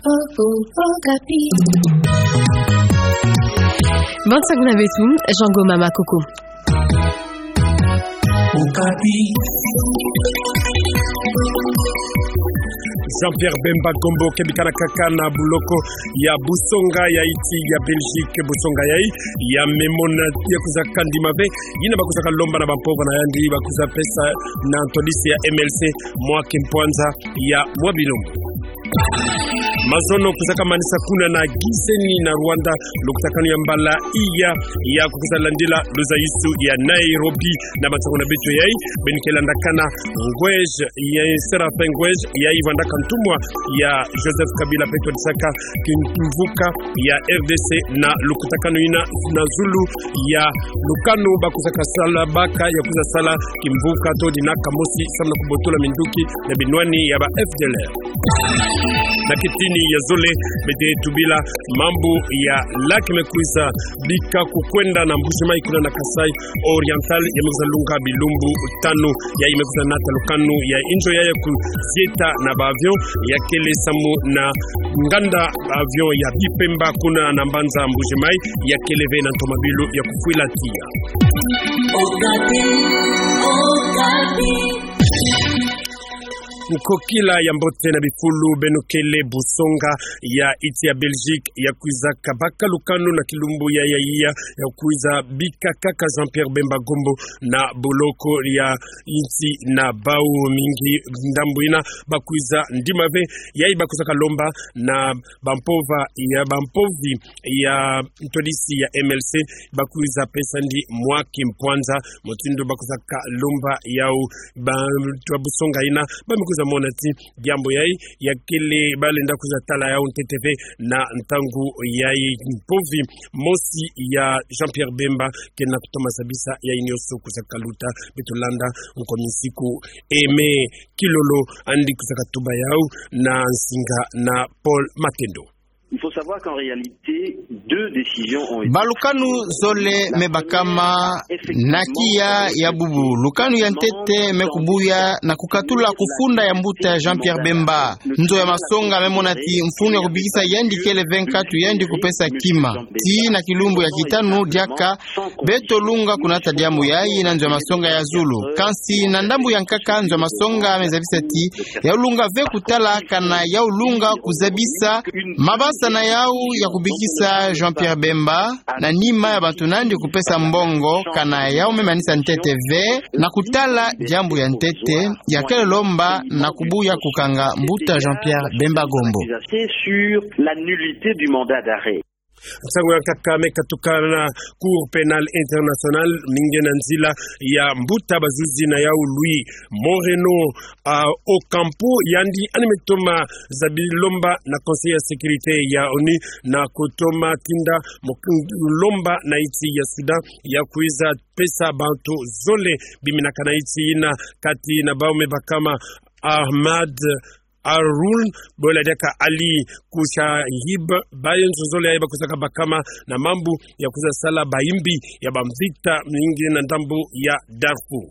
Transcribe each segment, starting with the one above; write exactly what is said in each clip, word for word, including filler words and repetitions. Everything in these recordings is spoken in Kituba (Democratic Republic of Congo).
Okapi. Bon nsangu na beto, Jean Goma Makoko. Okapi. Jean-Pierre Bemba Gombo, kebikana kaka na boloko ya busonga ya iti ya Belgique, busonga yai ya me mona ya kwiza kandima ve yina ba kwizaka lomba na bampova na yandi, ba kwiza pesa na ntwadisi ya M L C mwa kimpwanza ya mwa bilumbu. Mazono kwizaka manisa kuna na Gisenyi na Rwanda lukutakanu ya mbala iya ya kukwiza landila luzayusu ya Nairobi. Na bansangu na beto yai, beno ke landakana Ngwej, ya Séraphin Ngwej, yai vwandaka ntumwa ya Joseph Kabila, mpe twadisaka kimvuka ya R D C na lukutakanu yina na zulu ya lukanu ba kwizaka sala baka ya kwiza sala kimvuka to dina kamosi samu na kubotola minduki na binwani ya ba F D L R. Na kitini ya zole, beto tubila mambu ya lac me kwiza bika kukwenda na Mbuji-Mayi kuna na Kasaï Oriental, ya me kwiza lunga bilumbu tanu, yai me kwiza nata lukanu ya inzo yai ya kuzieta na ba avion, ya kele samu na nganda avion ya Bipemba kuna na mbanza Mbuji-Mayi, ya kele ve na ntomabilu ya kufwila tiya. Okapi, Okapi. Nkokila ya mbote na bifulu, beno kele busonga ya iti ya Belgique ya kwiza kabaka lukanu na kilumbu ya, ya iya, ya kwiza bika kaka Jean-Pierre Bemba Gombo na boloko ya insi na bau mingi ndambu yina ba kwiza ndima ve, yai ba kwizaka lomba na bampova ya, bampovi ya ntwadisi ya M L C, ba kwiza pesa ndi mwa kimpwanza, mutindu ba kwizaka lomba yau. Bantu ya busonga yina ba me kwiza mona ti diambu yai ya kele, ba lenda kwiza tala yau ntete ve na ntangu yai. Mpovi mosi ya Jean-Pierre Bemba ke na kutoma zabisa yai nyonso kwizaka luta. Beto landa nkomi nsiku Aimé Kilolo, yandi kwizaka tuba yau na nsinga na Paul Matendo. Il faut savoir qu'en réalité, deux décisions ont été... Balukanu zole me bakama na kiya ya bubu. Lukanu ya ntete me kubuya na kukatula kufunda ya mbuta Jean-Pierre Bemba. Nzo ya masonga me mona ti mfunu ya kubikisa yandi kele ve nkatu yandi kupesa kima. Ti na kilumbu ya kitanu diaka beto lunga kunata diambu yai na nzo ya masonga ya zulu. Kansi na ndambu ya nkaka, nzo ya masonga me zabisa ti yau lunga ve kutala kana yau lunga kuzabisa mabasa na yau ya kubikisa Jean-Pierre Bemba na nima ya bantu nandi kupesa mbongo, kana yau me manisa ntete ve na kutala diambu ya ntete ya kele lomba na kubuya kukanga mbuta Jean-Pierre Bemba Gombo. Sur la nullité du mandat d'arrêt. Nsangu ya nkaka me katuka na Cour pénale internationale, mingi na nzila ya mbuta bazuzi na yau Luis Moreno, ah, Ocampo, yandi yandi me toma zabi lomba na Conseil ya sécurité ya ONU na kutoma tinda mo-, lomba na iti ya Soudan ya kwiza pesa bantu zole biminaka na iti yina, kati na bau me bakama Ahmad Arul, bole diaka Ali Kushahib, bayo nzonzolo yai ba kwizaka bakama na mambu ya kwiza sala bayimbi ya bamvita mingi na ndambu ya Darfour.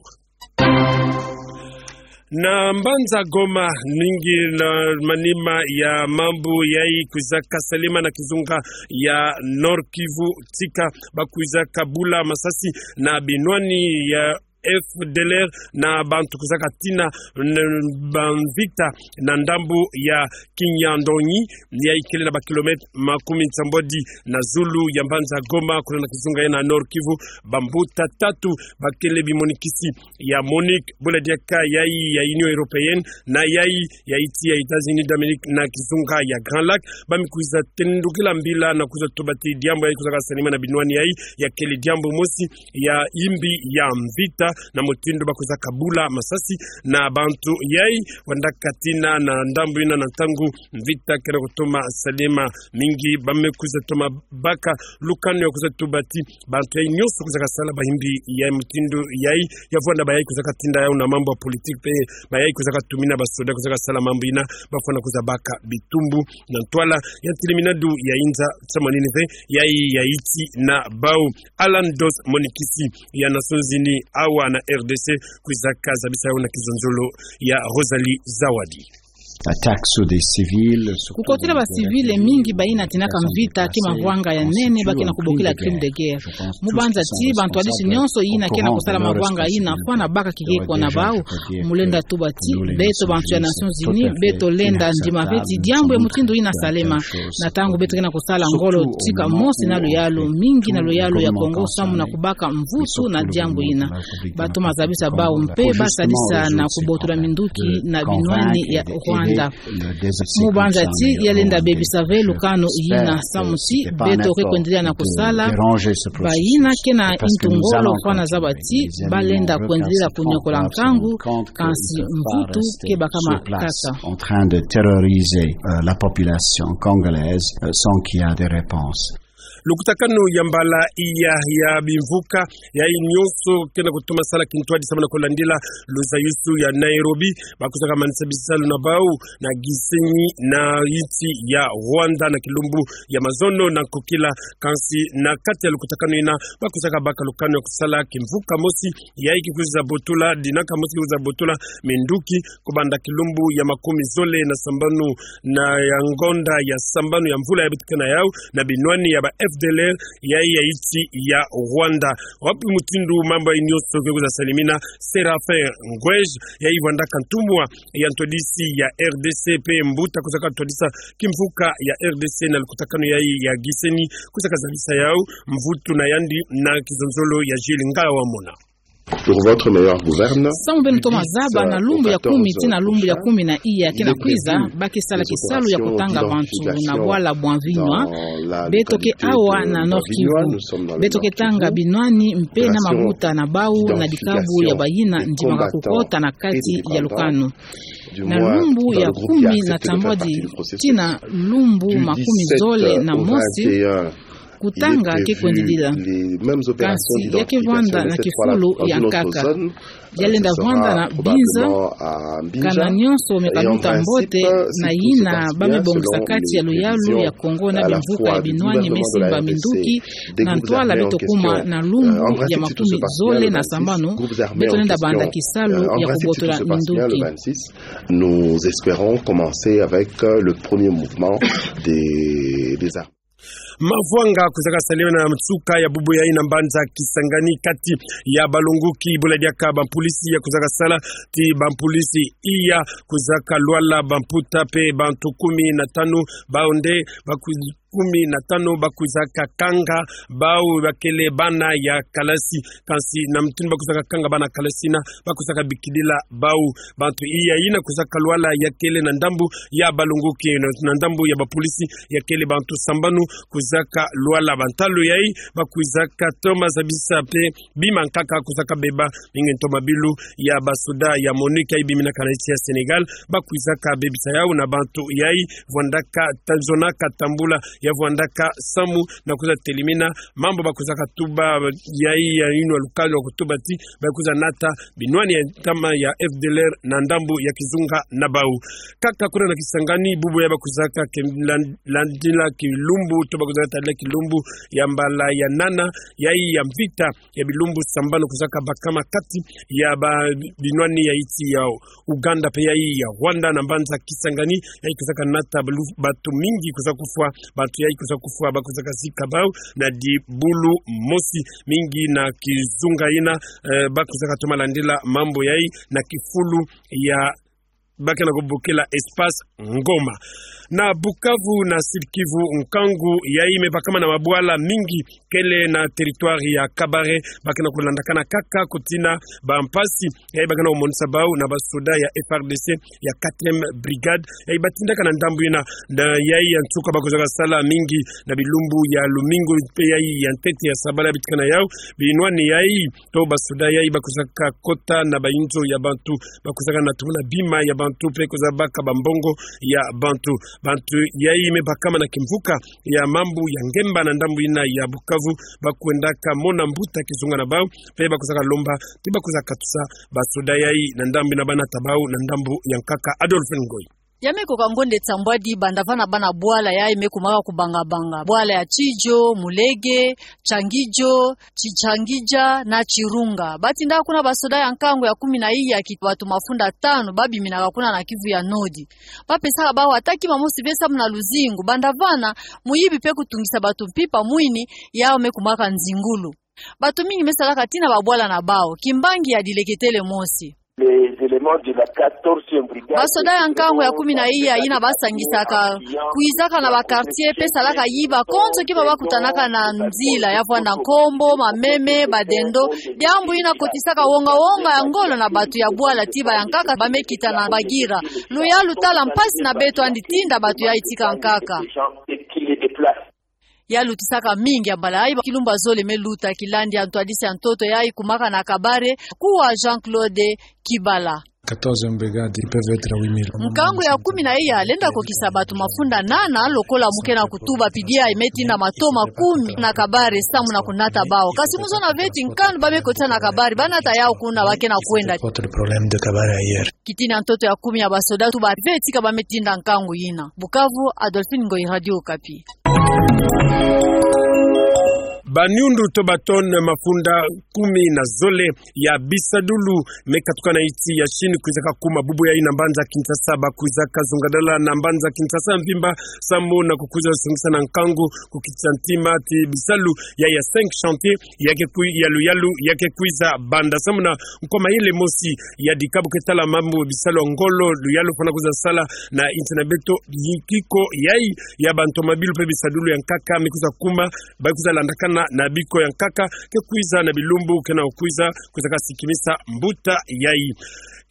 Na mbanza Goma, mingi na manima ya mambu yai kwizaka salema na kizunga ya Nord-Kivu, tika ba kwizaka bula masasi na binwani ya F D L R na bantu kwizaka tina n-, bamvita na ndambu ya Kinyandonyi, yai kele na bakilomètre makumi nsambwadi na zulu ya mbanza Goma, kuna na kizunga yai na Nord-Kivu. Bambuta tatu ba kele bimonikisi ya MONUC, bole diaka yai ya Union Européenne na yai ya iti ya États-Unis d'Amérique na kizunga ya Grand Lac, ba me kwiza tendukila mbila na kwiza tuba ti diambu yai kwizaka salema na binwani yai ya kele diambu mosi ya yimbi ya mvita, na mutindu ba kwizaka bula masasi na bantu yai, wandaka tina na ndambu yina na ntangu mvita ke na kutoma salema. Mingi ba me kwiza toma baka lukanu ya kwiza tuba ti bantu yai nyonso kwizaka sala bayimbi ya mutindu yai, ya vwanda bayai kwizaka tinda yau na mambu ya politique mpe bayai kwizaka tumina basoda kwizaka sala mambu yina, ba fwana kwiza baka bitumbu na ntwala ya ntiliminadu ya inza, samu na nini ve yai ya iti na bau. Alan Dos, monikisi ya Nations Unies awa na R D C, kwizaka zabisa yau na kizonzolo ya Rosalie Zawadi. Attaques sur des civils, surtout dans des guerres civiles, mingi bayina tinaka mvita ki mavwanga ya nene, ba ke na kubokila crime de guerre. Mu banza ti bantu yadisi nyonso yina ke na kusala mavwanga yina, fwana baka kikeko na bau. Mu lenda tuba ti beto bantu ya Nations Unies, beto lenda ndima ve ti diambu ya mutindu yina salema. Na ntangu beto ke na kusala ngolo tika mosi na luyalu, mingi na luyalu ya Kongo samu na kubaka mvutu na diambu yina. Ba toma zabisa bau mpe ba sadisa na kubotola minduki na binwani ya Rwanda. Mu banza ti ya lenda bebisa ve lukanu yina samu ti beto ke kwendelea na kusala. Bayina ke na ntu ngolo fwana zaba ti ba lenda kwendelea kunyokola nkangu, kansi mvutu ke bakama kaka. En train de terroriser, euh, la population congolaise, euh, sans qu'il y a de réponse. Lukutakanu ya mbala iya ya bimvuka, yayi nyonso ke na kutoma sala kintwadi samu na kulandila luzayusu ya Nairobi, ba kwizaka manisa bisalu na bau na Gisenyi na insi ya Rwanda na kilumbu ya mazono na nkokila, kansi na kati ya lukutakanu yina ba kwizaka baka lukanu ya kusala kimvuka mosi, yayi ki kwiza botula, dinaka mosi ki kwiza botula minduki, kubanda kilumbu ya makumi zole na sambanu na ya ngonda ya sambanu ya mvula ya beto ke na yau, na binwani ya ba F D L R, yayi ya insi ya Rwanda. Wapi mutindu mambu yayi nyonso ke kwiza salimina, Séraphin Ngoueje, yayi vwandaka ntumwa ya ntwadisi ya R D C mpe mbuta kwizaka ntwadisa kimvuka ya R D C na lukutakanu yayi ya Gisenyi, kwizaka zabisa yau mvutu na yandi na kizonzolo ya Jules Ngala Wamona. Pour votre meilleur gouverne, samu beno toma zaba, na lumbu ya kumi tii na lumbu ya kumi na iya ke na kwiza, ba ke sala kisalu ya kutanga bantu na bwala bwa Mvinwa. Beto ke awa na Nord-Kivu. Beto ke tanga binwani mpe na mabuta na bau na dikabu ya bayina ndimaka kukota na kati ya lukanu. Na lumbu ya kumi na tambwadi tii na lumbu makumi zole na mosi, kutanga ke kwendilila. Kansi ya ke vwanda na kifulu ya nkaka. Ya lenda vwanda na Binza, kana nyonso me kaluta mbote, na yina ba me bongisa kati ya luyalu ya Kongo na bimvuka ya binwani me simba minduki, na ntwala beto kuma na lumbu ya makumi zole na sambanu, beto lenda banda kisalu ya kubotola minduki. Nous espérons commencer avec, euh, le premier mouvement des, des armes. Mavwanga kwizaka salema na nsuka ya bubu yayi na mbanza Kisangani kati ya balongoki bula diaka bampolisi ya kwizaka sala ti bampolisi iya kwizaka lwala bamputa mpe bantu kumi na tanu, bau nde ba kwi-, kumi na tanu ba kwizaka kanga bau bakele bana ya kalasi. Kansi na mutindu ba kwizaka kanga bana kalasi yina, ba kwizaka bikidila bau. Bantu iya yina kwizaka lwala ya kele na ndambu ya balongoki, na ndambu ya bapolisi ya kele bantu sambanu kwizaka lwala. Bantalu yayi ba kwizaka toma zabisa mpe bima nkaka kwizaka beba, mingi ntoma bilu ya basoda ya MONUC yayi biminaka na insi ya Sénégal, ba kwizaka bebisa yau na bantu yayi vwandaka ta-, zonaka tambula, ya vwandaka samu na kwiza telimina mambu ba kwizaka tuba yayi ya inwa lukalu ya kutuba ti ba kwiza nata binwani ya ntama ya F D L R na ndambu ya kizunga na bau. Kaka kuna na Kisangani, bubu yayi ba kwizaka ke lan-, landila kilumbu, to ba kwizaka tadila kilumbu ya mbala ya nana yayi ya mvita ya bilumbu sambanu kwizaka bakama kati ya ba binwani ya insi ya Ouganda mpe yayi ya Rwanda na mbanza Kisangani, yayi kwizaka nata balu-, bantu mingi kwiza kufwa, bantu yayi kwiza kufwa, ba kwizaka zika bau na dibulu mosi, mingi na kizunga yina, eh, ba kwizaka toma landila mambu yayi na kifulu ya ba ke na kubokila Espace Ngoma. Na Bukavu na Sud-Kivu, nkangu yayi me bakama na mabwala mingi kele na territoire ya Kabare, ba ke na kulandakana kaka kutina bampasi yayi ba ke na kumonisa bau na basoda ya F R D C ya quatrième brigade, yayi ba tindaka na ndambu yina, na yayi ya nsuka ba kwizaka sala mingi na bilumbu ya lumingu mpe yayi ya ntete ya sabala bitika na yau, binwani yayi to basoda yayi ba kwizaka kota na bayinzo ya bantu, ba kwizaka na tumuna bima ya bantu mpe kwiza baka bambongo ya bantu. Bantu yayi me bakama na kimvuka ya mambu ya ngemba na ndambu yina ya Bukavu, ba kwendaka mona mbuta kizunga na bau, mpe ba kwizaka lomba ti ba kwiza katusa basoda yayi na ndambu yina ba nata bau na ndambu ya nkaka. Adolphe Ngoyi. Ya me koka ngonde tsambwadi banda vana bana bwala yayi me kumaka kubanga-banga. Bwala ya Tsidjo, Mulege, Tianguidjo, Tsi-, Tianguidja na Tchirunga. Ba tindaka kuna basoda ya nkangu ya kumi na iya, kiti bantu mafunda tanu ba biminaka kuna na Kivu ya Nord. Ba pesaka bawu ata kima mosi ve samu na luzingu. Banda vana, muyibi pe kutungisa bantu mpimpa mwini, yawu me kumaka nzingulu. Bantu mingi me salaka tii na babwala na bawu. Kimbangi ya dileketele mosi. Les éléments de la quatorzième brigade. Basoda ya nkangu ya kumi na iya yina ba sangisaka, kwizaka na ba quartier pe salaka yiba konso kima ba kutanaka na nzila, ya vwanda nkombo, mameme, badendo. Diambu yina kotisaka wonga-wonga ya ngolo na bantu ya bwala ti bayankaka ba me kita na Bagira. Luyalu tala mpasi na beto, yandi tinda bantu yayi tika nkaka. Ya lutisaka mingi ya mbala yayi. Kilumbu ya zole me luta kilandi ya ntwadisi ya ntoto yayi kumaka na Kabare, kuwa Jean-Claude Kibala. Quatorzième brigade, ils peuvent être huit mille. Nkangu ya kumi na iya lenda kokisa bantu mafunda nana, lokola mu ke na kutuba, pidi yayi me tinda matoma kumi na Kabare samu na kunata bawu. Kasi mu zona ve ti nkanu ba me kotisa na Kabare, ba nata yawu kuna, ba ke na kwenda. Autre problème de Kabare ailleurs. Kitini ya ntoto ya kumi ya basoda, tuba ve tika ba me tinda nkangu yina. Bukavu, Adolphine Ngoyi, Radio Okapi. Baniundu to ba tonne mafunda kumi na zole ya bisadulu me katuka na insi ya Chine kwizaka kuma bubu yayi na mbanza Kinshasa. Ba kwizaka zungadala na mbanza Kinshasa mvimba samu na kukwiza sungisa na nkangu, kukitisa ntima ti bisalu yayi ya cinq chantiers ya ke kwi-, ya luyalu ya ke kwiza banda samu na nkwa mayele mosi ya dika bu ke tala mambu bisalu ya ngolo, luyalu fwana kwiza sala na insi na beto. Yikiko yayi ya bantu mabilu pe bisadulu ya nkaka me kwiza kuma, ba kwiza landakana na biko ya nkaka ke kwiza na bilumbu ke na kwiza, kwizaka sikimisa mbuta yayi.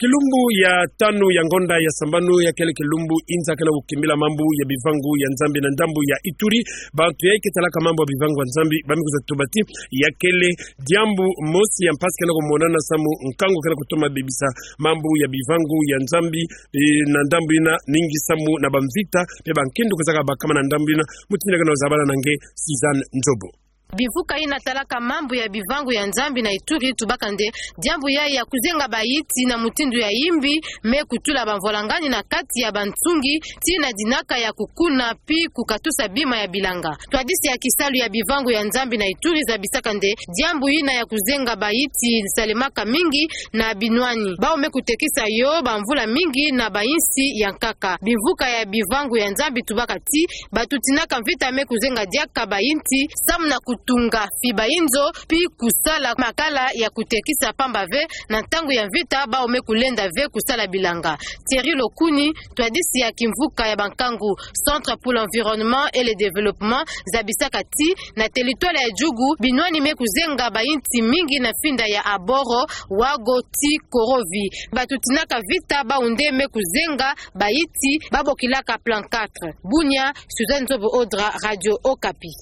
Kilumbu ya tanu ya ngonda ya sambanu ya kele kilumbu inza ke na kukimbila mambu ya bivangu ya Nzambi na ndambu ya Ituri. Bantu yayi ke talaka mambu ya bivangu ya Nzambi ba me kwiza tuba ti ya kele diambu mosi ya mpasi ke na kumonana samu nkangu ke na kutoma bebisa mambu ya bivangu ya Nzambi, eh, na ndambu yina, ningi samu na bamvita pe bankindu kwizaka bakama na ndambu yina. Mutindu ke na kuzabana na nge, Suzanne Nzobo. Bivuka yina talaka mambu ya bivangu ya Nzambi na Ituri tubaka nde diambu yayi ya kuzenga bayinti na mutindu ya yimbi me kutula bamvwalangani na kati ya bansungi tii na dinaka ya kukuna pi kukatusa bima ya bilanga. Ntwadisi ya kisalu ya bivangu ya Nzambi na Ituri zabisaka nde diambu yina ya kuzenga bayinti salemaka mingi na binwani bawu me kutekisa yo bamvula mingi na bayinsi ya nkaka. Bivuka ya bivangu ya Nzambi tubaka ti bantu tinaka mvita me kuzenga diaka bayinti samu na kutunga fiba inzo, pi kusala makala ya kutekisa pamba ve na ntangu ya mvita bawu me kulenda ve kusala bilanga. Thierry Lokuni, ntwadisi ya kimvuka ya bankangu Centre pour l'environnement et le développement, zabisaka ti na territoire ya Djugu, binwani me kuzenga bayinti mingi na finda ya Aboro, Wago ti Korovi. Bantu tinaka mvita bawu nde me kuzenga bayinti ba bokilaka plan quatre. Bunia, Suzanne Nzobo Odra, Radio Okapi.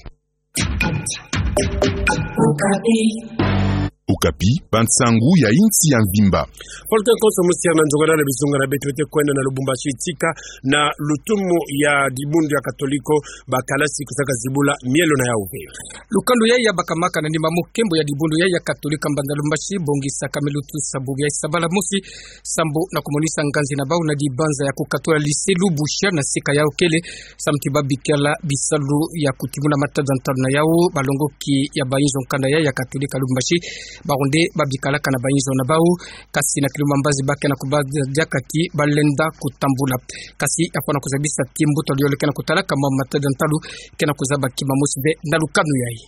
Okapi, bansangu ya insi ya mvimba. Folke konso musiana nzonga na bizunga na beto bete kwenda na Lubumbashi tika na lutumu ya dibundu ya Katoliko, ba kalasi kwizaka zibula mielo na yawu ve. Lukando yayi ya bakamaka na nima mo kembo ya dibundu yayi ya Katolika mbanza Lubumbashi, bongisaka me lutusa bubu yayi sabala mosi, sambu na kumonisa nganzi na bawu na dibanza ya kukatula lycée Lubusha na sika yawu kele, samu ti ba bikala bisalu ya kutimuna matada ntalu na yawu. Balongoki ya bayinzo nkanda yayi ya Katolika Lubumbashi, bawu nde ba bikalaka na bayinzo na bawu, kasi na kilumbu ya mbazi ba ke na kubaka diaka ti ba lenda kutambula. Kasi ya fwana kuzabisa ti mbuta luyole ke na kutalaka mambu matada ntalu ke na kuzaba kima mosi ve na lukanu yayi.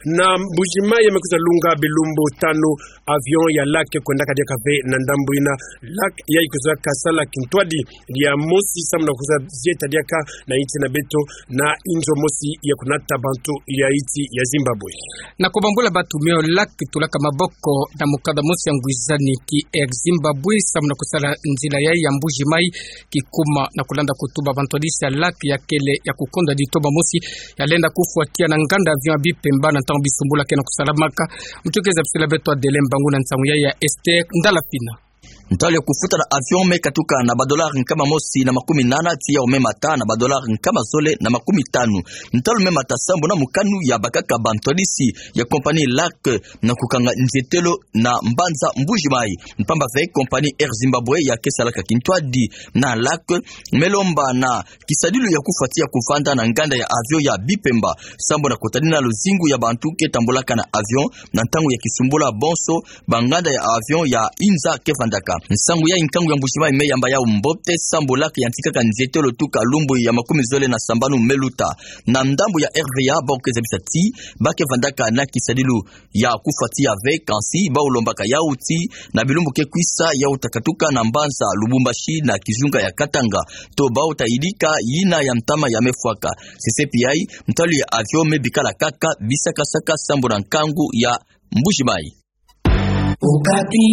Na Mbuji-Mayi me kwiza lunga bilumbu tanu, avion ya LAC kwendaka diaka ve na ndambu yina. LAC yayi kwizaka sala kintwadi ya mosi samu na kwiza zieta diaka na insi na beto na inzo mosi ya kunata bantu ya insi ya Zimbabwe. Na kubambula bantu mio, LAC tolaka maboko na mukanda mosi ya ngwizani ki Air Zimbabwe samu na kusala nzila yayi ya Mbuji-Mayi kikuma, na kulanda kutuba bantwadisi ya LAC ya kele ya kukonda ditoma mosi ya lenda kufwatia na nganda avion ya Bipemba na ntangu bisumbula ke na kusalamaka. Mutukeza bisila beto Adele Mbangu na nsangu yayi ya Esther Ndalafina. Ntalu ya kufuta na avion me katuka na ba dollar nkama mosi na makumi nana, tii yau me mata na ba dollar nkama zole na makumi tanu. Ntalu me mata sambu na mokanu ya bakaka ba ntwadisi ya compagnie LAC na kukanga nzietelo na mbanza Mbuji-Mayi. Mpamba ve compagnie Air Zimbabwe ya ke salaka kintwadi na LAC me lomba na kisadilu ya kufuati ya kuvanda na nganda ya avion ya Bipemba, sambu na kutadina luzingu ya bantu ke tambulaka na avion na ntangu ya kisumbula bonso ba nganda ya avion ya inza ke vandaka. Nsangu ya nkangu ya Mbuji-Mayi me yamba yau mbote sambu LAC yantikaka nzietelo tuka lumbu ya makumi zole na sambanu me luta. Na ndambu ya R V A, bau ke zabisa ti ba ke vandaka na kisadilu ya kufuati ya ve, kansi bau lombaka yau ti na bilumbu ke kwisa yau ta katuka na mbanza Lubumbashi na kizunga ya Katanga, to bau ta yidika yina ya ntama ya me fwaka. C C P I, ntalu ya avion me bikala kaka bisakasaka sambu na nkangu ya Mbuji-Mayi. Okapi.